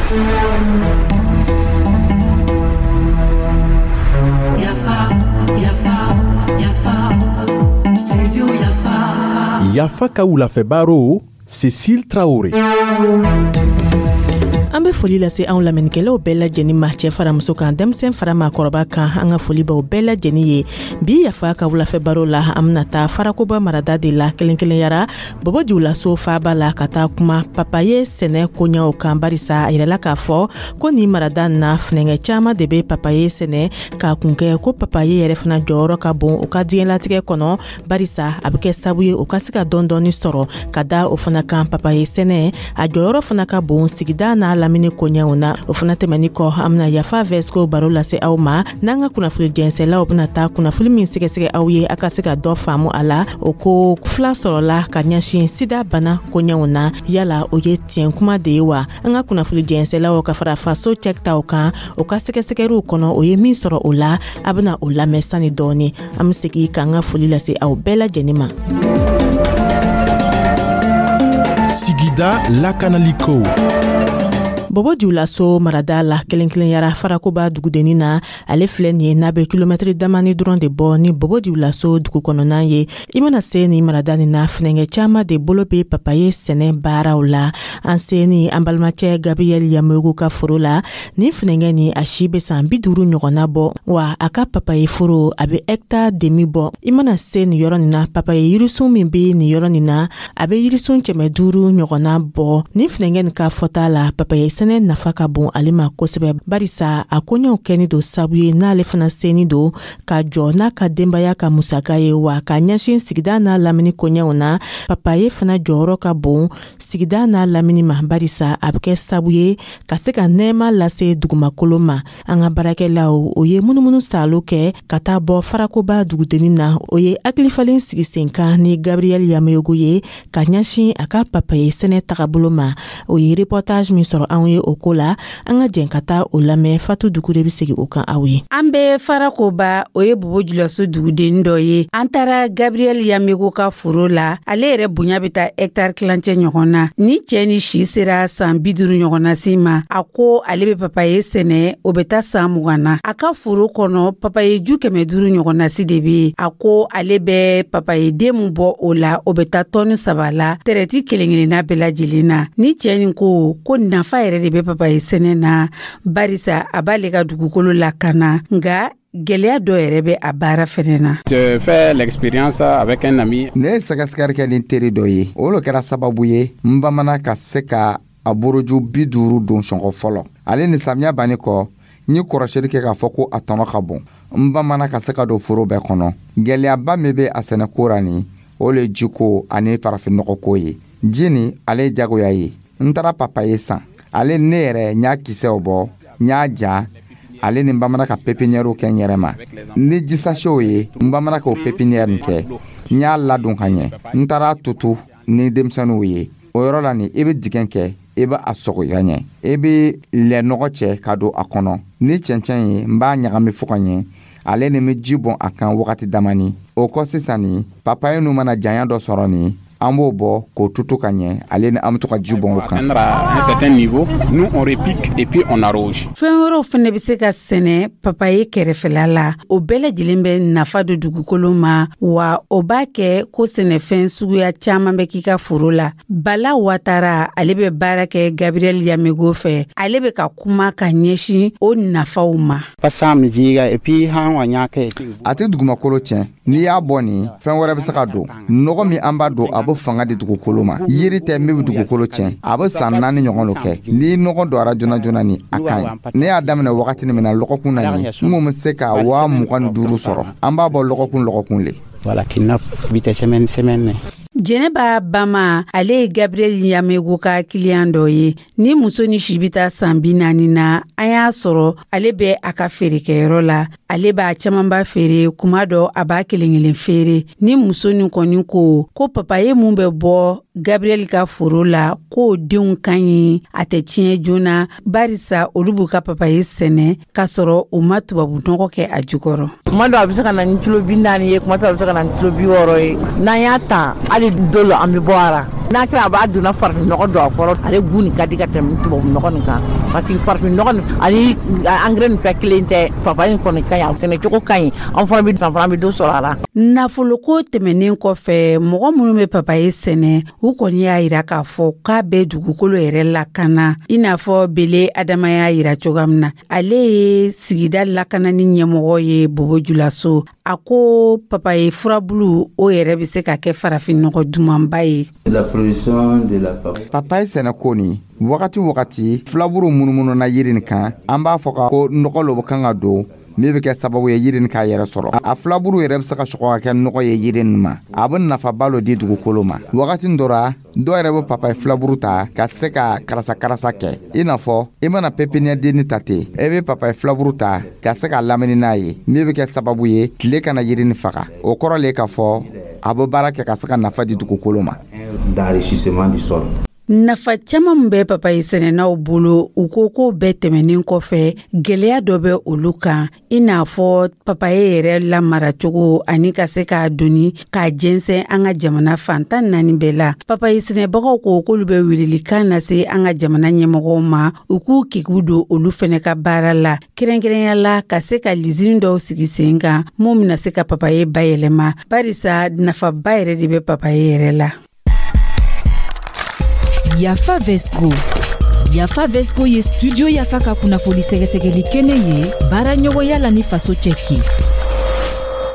Yafa, yafa, yafa, studio Yafa. Yafa ka wulafɛ baro, Cécile Traoré. An be foli lase anw lamɛnnikɛlaw bɛɛ lajɛnin ma, cɛɛ fara muso kan, denmisɛn fara maakɔrɔba kan. An ka foli b'aw bɛɛ lajɛnin ye. Bi Yafa ka wulafɛ baro la, an bena taa Farakoba marada de la, kelen kelenyara Bɔbɔ Julaso faaba la, ka taa kuma papaye sɛnɛ koɲaw kan, barisa a yirala k'a fɔ ko nin marada na, funɛngɛ caaman de be papaye sɛnɛ, k'a kun kɛ ko papaye yɛrɛ fana jɔyɔrɔ ka bon u ka diɲɛlatigɛ kɔnɔ, barisa a be kɛ sabu ye u ka se ka dɔɔni sɔrɔ ka da o fana kan. Papaye sɛnɛ, a jɔyɔrɔ fana ka bon sigida n'a lamini koɲɛw na. O fana tɛmɛni kɔ, an bena Yafa Vɛsiko baro lase aw ma, n'an ka kunnafoni jɛnsɛlaw bena taa kunnafoni min sɛgɛsɛgɛ aw ye, a ka se ka dɔ faamu a la. O ko fila sɔrɔla ka ɲɛsin sida bana koɲɛw na. Yala o ye tiɲɛ kuma de ye wa? An ka kunnafoni jɛnsɛlaw ka fara faso cɛkitaw kan, o ka sɛgɛsɛgɛriw kɔnɔ, o ye min sɔrɔ o la, a bena o lamɛn sani dɔɔni. An be segi k'an ka foli lase aw bɛɛ lajɛnin ma. Sigida lakanaliko. Bɔbɔ Julaso marada la, kelen kelenyara Farakoba dugudennin na, ale filɛ nin ye, n'a bɛ kilomɛtiri damani dɔrɔn de bɔ ni Bɔbɔ Julaso dugu kɔnɔna ye. I mana se nin marada nin na, funɛngɛ caman de bolo bɛ papaye sɛnɛ baaraw la. An se ni an balimacɛ Gabriel Yamogo ka foro la, nin funɛngɛ nin, a si bɛ san 50 ɲɔgɔnna bɔ, wa a ka papaye foro, a bɛ hectare demi bɔ. I mana se nin yɔrɔ nin na, papaye yirisun min bɛ nin yɔrɔ nin na, a bɛ yirisun 500 ɲɔgɔnna bɔ. Nin funɛngɛ nin ka fɔta la, papaye sɛnɛ nafa ka bon ale ma kosɛbɛ, barisa a koɲɛw kɛni don sabu ye n'ale fana seni don ka jɔ n'a ka denbaya ka musaka ye, wa ka ɲɛsin sigida n'a lamini koɲɛw na. Papaye fana jɔyɔrɔ ka bon sigida n'a lamini ma, barisa a bɛ kɛ sabu ye ka se ka nɛɛma lase dugumakolo ma. An ka baarakɛlaw, o ye munumunu saalo kɛ ka taa bɔ Farakoba dugudennin na. O ye hakilifalen sigi sen kan ni Gabriel Yameyogo ye ka ɲɛsin a ka papaye sɛnɛ tagabolo ma. O ye reportage min sɔrɔ anw ye o ko la, an ka jɛn ka taa o lamɛn. Fatu Dukure bɛ segin o kan aw ye. An bɛ Farakoba, o ye Bobo Julaso duguden dɔ ye. An taara Gabriel Yamego ka foro la. Ale yɛrɛ bonya bɛ taa hectare tilancɛ ɲɔgɔn na. Ni cɛ ni si sera san 50 ɲɔgɔnna si ma, a ko ale bɛ papaye sɛnɛ, o bɛ taa san 20 na. A ka foro kɔnɔ, papaye ju 500 ɲɔgɔnna si de bɛ yen. A ko ale bɛ papaye den min bɔ o la, o bɛ taa tɔni 3 la, tɛrɛti kelen kelenna bɛɛ lajɛlen na. Ni cɛ nin ko ko nafa yɛrɛ de bɛ papaye sɛnɛ na, barisa a b'ale ka dugukolo lakana, nka gɛlɛya dɔ yɛrɛ bɛ a baara fɛnɛ na. Je fais l'expérience avec un ami. Ne ye sɛgɛsɛgɛli kɛ ni teri dɔ ye, o lo kɛra sababu ye n bamana ka se ka a boroju 50 don sɔngɔ fɔlɔ. Ale ni samiya banni kɔ, n ye kɔrɔsiyɛli kɛ k'a fɔ ko a tɔnɔ ka bon. N bamana ka se ka don foro bɛɛ kɔnɔ. Gɛlɛyaba min bɛ a sɛnɛko ra nin, o le ye jiko ani farafinnɔgɔko ye. Ji nin, ale ye jagoya ye. N taara papaye san, ale ne yɛrɛ n y'a kisɛw bɔ, n y'a ja, ale ni n bamana ka pépinière kɛ n yɛrɛ ma ni ji sachetw ye. N bamana k'o pépinière nin kɛ, n y'a ladon ka ɲɛ. N taara tutu ni denmisɛnninw ye o yɔrɔ la nin. I bɛ dingɛ kɛ, i bɛ a sɔgɔ ka ɲɛ, i bɛ lɛnɔgɔ cɛ ka don a kɔnɔ ni cɛncɛn ye. N b'a ɲagami fo ka ɲɛ, ale ni bɛ ji bɔn a kan wagati damani. O kɔ sisan nin, papaye nu mana janya dɔ sɔrɔ nin, an b'o bɔ k'o tutu ka ɲɛ, ale ni an bɛ to ka ji bɔn o kan. À un certain niveau, nous, on repique et puis on arrose. Fɛn wɛrɛw fɛnɛ bɛ se ka sɛnɛ papaye kɛrɛfɛla la. O bɛɛ lajɛlen bɛ nafa don dugukolo ma, wa o b'a kɛ ko sɛnɛfɛn suguya caman bɛ k'i ka foro la. Bala Watara, ale bɛ baara kɛ Gabriel Yamego fɛ. Ale bɛ ka kuma ka ɲɛsin o nafaw ma. A tɛ dugumakolo tiɲɛ. N'i y'a bɔ nin, fɛn wɛrɛ bɛ se ka don. Nɔgɔ min an b'a don, a bɛ fanga di dugukolo ma. Yiri tɛ min bɛ dugukolo tiɲɛ. A bɛ san 4 ɲɔgɔn lo kɛ. Ni nɔgɔ dɔra joona joona ni, a ka ɲi. Ne y'a daminɛ wagati min na, lɔgɔkun na nin, n kun bɛ se ka 25 000 sɔrɔ. An b'a bɔ lɔgɔkun lɔgɔkun le. Jɛnɛba Bama, ale ye Gabriel Yamego ka kiliyan dɔ ye. Ni muso ni si bɛ taa san 40 na, an y'a sɔrɔ ale bɛ a ka feerekɛyɔrɔ la. Ale b'a camanba feere, kuma dɔ a b'a kelen kelen feere. Ni muso nin kɔni ko ko papaye mun bɛ bɔ Gabriel ka foro la, k'o denw ka ɲi, a tɛ tiɲɛ joona, barisa olu b'u ka papaye sɛnɛ k'a sɔrɔ u ma tubabu nɔgɔ kɛ a jukɔrɔ. Kuma dɔ a bɛ se ka na ni kilo 40 ye, kuma dɔ a bɛ se ka na ni kilo 60 ye. N'an y'a ta, hali dɔ lo an bɛ bɔ a la. N'a kɛra a b'a donna farafinnɔgɔ don a kɔrɔ, ale gu nin ka di ka tɛmɛ tubabu nɔgɔ nin kan, parce que farafinnɔgɔ nin ani engrais nin fɛn kelen tɛ. Papaye nin kɔni ka ɲi, a sɛnɛcogo ka ɲi, an fana bɛ an fana bɛ dɔ sɔrɔ a la. Nafoloko tɛmɛnen kɔfɛ, mɔgɔ minnu bɛ papaye sɛnɛ, u kɔni y'a yira k'a fɔ k'a bɛ dugukolo yɛrɛ lakana, i n'a fɔ Bele Adama y'a yira cogoya min na. Ale ye sigida lakanani ɲɛmɔgɔ ye Bobo Julaso. A ko papaye furabulu, o yɛrɛ bɛ se ka kɛ farafinnɔgɔ dumanba ye. Papaye sɛnɛko nin, wagati wagati filaburu munumunu na yiri nin kan, an b'a fɔ ka ko nɔgɔ lo kan ka don min bɛ kɛ sababu ye yiri nin k'a yɛrɛ sɔrɔ. A filaburu yɛrɛ bɛ se ka sɔgɔ ka kɛ nɔgɔ ye yiri nin ma, a bɛ nafaba lo di dugukolo ma. Wagati dɔ ra, dɔw yɛrɛ bɛ papaye filaburu ta ka se ka karasa karasa kɛ, i n'a fɔ i mana pépinière denni ta ten, e bɛ papaye filaburu ta ka se ka lamini n'a ye, min bɛ kɛ sababu ye tile kana yiri nin faga. O kɔrɔ le k'a fɔ a bɛ baara kɛ ka se ka nafa di dugukolo ma. D'enrichissement du sol. Nafa caman min bɛ papaye sɛnɛnaw bolo, u ko ko bɛɛ tɛmɛnen kɔfɛ, gwɛlɛya dɔ bɛ olu kan, i n'a fɔ papaye yɛrɛ lamaracogo ani ka se k'a doni k'a jɛnsɛn an ka jamana fan 14 bɛɛ la. Papaye sɛnɛbagaw ko k'olu bɛ welelikan lase an ka jamana ɲɛmɔgɔw ma, u k'u kiku don olu fɛnɛ ka baara la, kɛrɛnkɛrɛnya la ka se ka lizini dɔw sigi sen kan mun bɛna se ka papaye bayɛlɛma, barisa nafaba yɛrɛ de bɛ papaye yɛrɛ la. Yafa Vesco. Yafa Vesco ye Studio Yafa ka kunnafoni sɛgɛsɛgɛli kɛnɛ ye, baara ɲɔgɔnya la ni Faso Cɛki.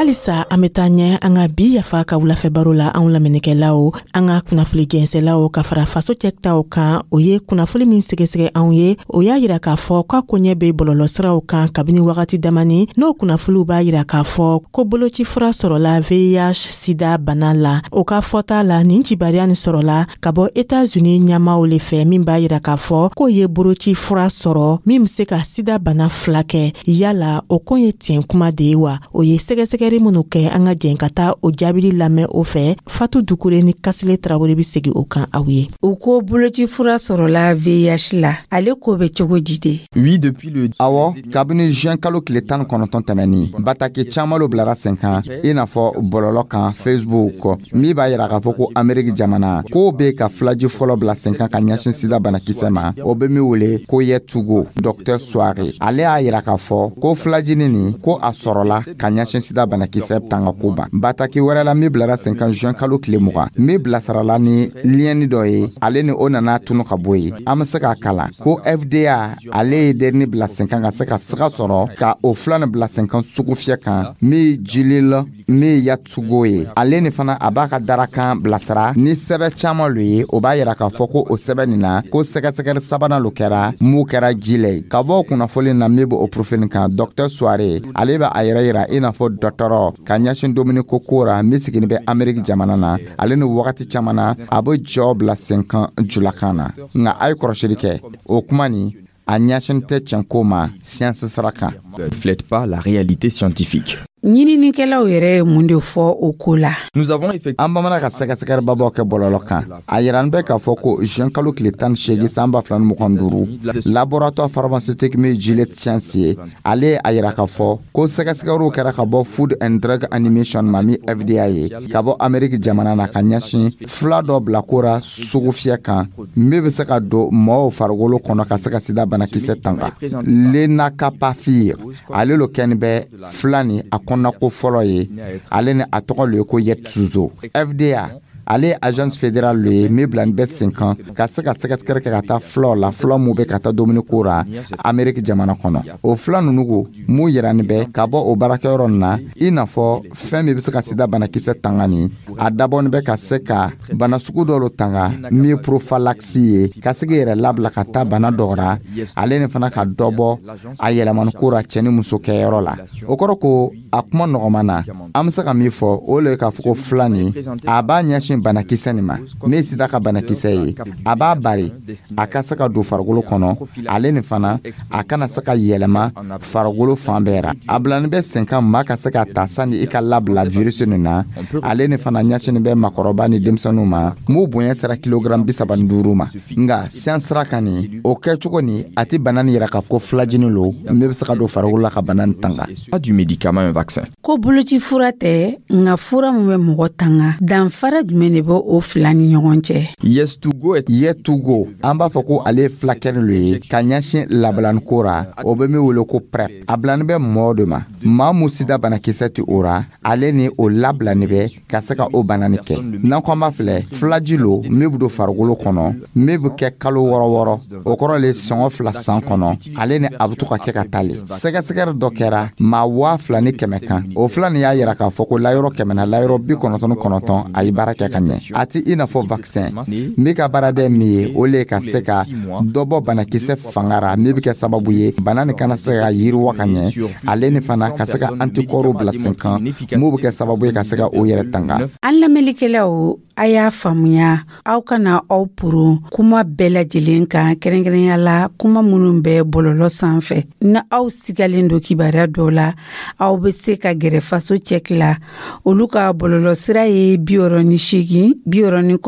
Halisa an bɛ taa ɲɛ an ka bi Yafa ka wulafɛ baro la. Anw lamɛnnikɛlaw, an ka kunnafoni jɛnsɛlaw ka fara Faso cɛtaw kan, o ye kunnafoni min sɛgɛsɛgɛ anw ye, o y'a yira k'a fɔ k'a koɲɛ bɛ bɔlɔlɔsiraw kan kabini wagati damani. N'o kunnafoniw b'a yira k'a fɔ ko boloci fura sɔrɔla VIH sida bana la. O ka fɔta la, nin cibariya nin sɔrɔla ka bɔ Etats-Unis ɲɛmaw le fɛ, min b'a yira k'a fɔ k'o ye boloci fura sɔrɔ min be se ka sida bana fila kɛ. Yala o ko ye tiɲɛ kuma de ye wa? O ye sɛgɛsɛgɛri minnu kɛ, an ka jɛn ka taa o jaabili lamɛn o fɛ. Fatu Dukure ni Kasile Tarawele be segi o kan aw ye. U ko boloci fura sɔrɔla VIH la, ale ko bɛ cogo di de? Oui, depuis le Awɔ, kabini juin kalo tile 19 tɛmɛni, bataki caaman lo bilara sen kan, i n'a fɔ bɔlɔlɔ kan, Facebook, min b'a yira k'a fɔ ko Ameriki jamana k'o be ka filaji fɔlɔ bila sen kan ka ɲɛsin sida banakisɛ ma, o be min wele ko Yɛtugo. Dɔktɛr Soare, ale y'a yira k'a fɔ ko filajini nin, ko a sɔrɔla ka ɲɛsin sida banakisɛ tanga ko ban. Bataki wɛrɛ la min bilara sen kan juin kalo tile 20, min bilasirala ni liyɛni dɔ ye, ale ni o nana tunu ka bɔ yen, an be se k'a kalan ko FDA, ale ye derini bila sen kan ka se ka siga sɔrɔ ka o fila nin bila sen kan sugu fiyɛ kan min jilila min yatugo ye. Ale ni fana a b'a ka darakan bilasira ni sɛbɛ caaman lo ye, o b'a yira k'a fɔ ko o sɛbɛ nin na, ko sɛgɛsɛgɛli sabanan lo kɛra mun kɛra ji la ye. Ka bɔ kunnafoli na min b'o profil kan, Dɔktɛr Soare, ale bɛ a yɛrɛ yira i n'a fɔ dɔtɔrɔ ka ɲɛsin dumuni ko ko ra min sigini bɛ Ameriki jamana na. Ale ni wagati caman na, a bɛ jɔ bila sen kan julakan na, nka a ye kɔrɔsili kɛ, o kuma nin, a ɲɛsin tɛ tiɲɛko ma siyansi sira kan. Reflète pas la réalité scientifique. Ɲininikɛlaw yɛrɛ ye mun de fɔ o ko la? Nous avons effectivement An bamanan ka sɛgɛsɛgɛlibabaw kɛ bɔlɔlɔ kan, a yirani bɛ k'a fɔ ko juin kalo tile 18 san 2025, laboratoire pharmaceutique min Gilead Science ye, ale ye a yira k'a fɔ ko sɛgɛsɛgɛliw kɛra ka bɔ Food and Drug Administration ma, min FDA ye, ka bɔ Ameriki jamana na, ka ɲɛsin fila dɔ bila ko ra sugu fiyɛ kan min bɛ se ka don mɔɔw farikolo kɔnɔ ka se ka sida banakisɛ tanga. Lenacapavir, ale lo kɛni bɛ fila ni a kɔnɔnako fɔlɔ ye. Ale ni a tɔgɔ lo ye ko Yetsuzo. FDA, ale ye agence fédérale lo ye min bilani bɛ sen kan ka se ka sɛgɛsɛgɛli kɛ ka taa filaw la, fila mun bɛ ka taa dumuni ko ra Ameriki jamana kɔnɔ. O fila nunu ko mun yirani bɛ ka bɔ o baarakɛyɔrɔ nin na, i n'a fɔ fɛn min bɛ se ka sida banakisɛ tanga nin, a dabɔni bɛ ka se ka bana sugu dɔ lo tanga min ye prophylaxie ye, ka se k'i yɛrɛ labila ka taa bana dɔ ra, ale ni fana ka dɔ bɔ a yɛlɛmani ko ra cɛ ni muso kɛyɔrɔ la. O kɔrɔ ko a kuma nɔgɔman na, an bɛ se ka min fɔ, o le ye k'a fɔ ko fila nin, a b'a ɲɛsin banakisɛ nin ma min ye sida ka banakisɛ ye, a b'a bari a ka se ka don farikolo kɔnɔ, ale ni fana a kana se ka yɛlɛma farikolo fan bɛɛ ra. A bilani bɛ sen kan maa ka se ka ta sani i ka labila virus nin na. Ale ni fana ɲɛsinin bɛ makɔrɔba ni denmisɛnninw ma m'u bonya sera kilogramme 35 ma. Nka siyan sira kan nin, o kɛcogo nin, a tɛ bana nin yira k'a fɔ ko filajini lo min bɛ se ka don farikolo la ka bana nin tanga. Pas du médicament un vaccin. Ko boloci fura tɛ, nka fura min bɛ mɔgɔ tanga, danfara jumɛn jumɛn de bɛ o fila ni ɲɔgɔn cɛ? Yeztugo est Yeztugo, an b'a fɔ ko ale ye fulakɛli lo ye ka ɲɛsin labilaniko ra. O bɛ min wele ko PrEP, a bilani bɛ mɔɔ de ma, maa mu sida banakisɛ tɛ o ra, ale ni o labilani bɛ ka se ka o bana nin kɛ. N'an ko an b'a filɛ, filaji lo min bɛ don farikolo kɔnɔ, min bɛ kɛ kalo 6 6, o kɔrɔ le sɔngɔ 2 san kɔnɔ. Ale ni a bɛ to ka kɛ ka taa le. Sɛgɛsɛgɛli dɔ kɛra maa 2100 kan, o fila nin y'a yira k'a fɔ ko layɔrɔ 100 na, layɔrɔ 99, a ye baara kɛ ka ɲɛ. A ti i n'a fɔ vaccin min ka baaradɛ min ye, o le ye ka se ka dɔ bɔ banakisɛ fanga ra, min bɛ kɛ sababu ye bana nin kana se ka yiriwa ka ɲɛ, ale ni fana ka se ka anticorps bila sen kan, mun bɛ kɛ sababu ye ka se ka o yɛrɛ tanga. An lamɛnlikɛlaw, a y'a faamuya, aw kana aw poron kuma bɛɛ lajɛlen kan, kɛrɛnkɛrɛnya la kuma minnu bɛ bɔlɔlɔ sanfɛ. Ni aw sigalen don kibaruya dɔw la, aw bɛ se ka gɛrɛ Faso cɛki la. Olu ka bɔlɔlɔ sira ye 68 69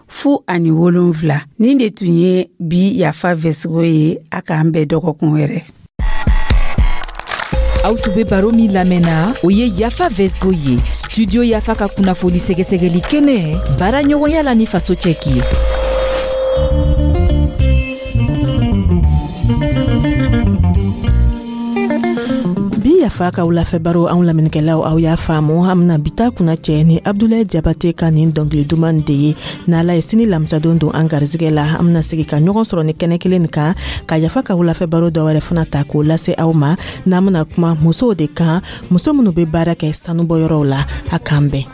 41 07. Nin de tun ye bi Yafa Vɛsigo ye. A k'an bɛn dɔgɔkun wɛrɛ. Aw tun be baro min lamɛnna, o ye Yafa Vɛsgo ye, Studio Yafa ka kunnafoli sɛgɛsɛgɛli kɛnɛ, baara ɲɔgɔnya la ni Faso cɛki ye. Bi Yafa ka wulafɛ baro, anw lamɛnnikɛlaw, aw y'a faamu, an bena bi ta kunna cɛ ni Abdulayi Jabate ka nin dɔnkili duman de ye. N'Ala ye sini lamisadon don an garizigɛ la, an bena segi ka ɲɔgɔn sɔrɔ ni kɛnɛ kelen nin kan ka Yafa ka wulafɛ baro dɔ wɛrɛ fana ta k'o lase aw ma, n'an bena kuma musow de kan, muso minnu be baara kɛ sanubɔyɔrɔw la. A k'an bɛn.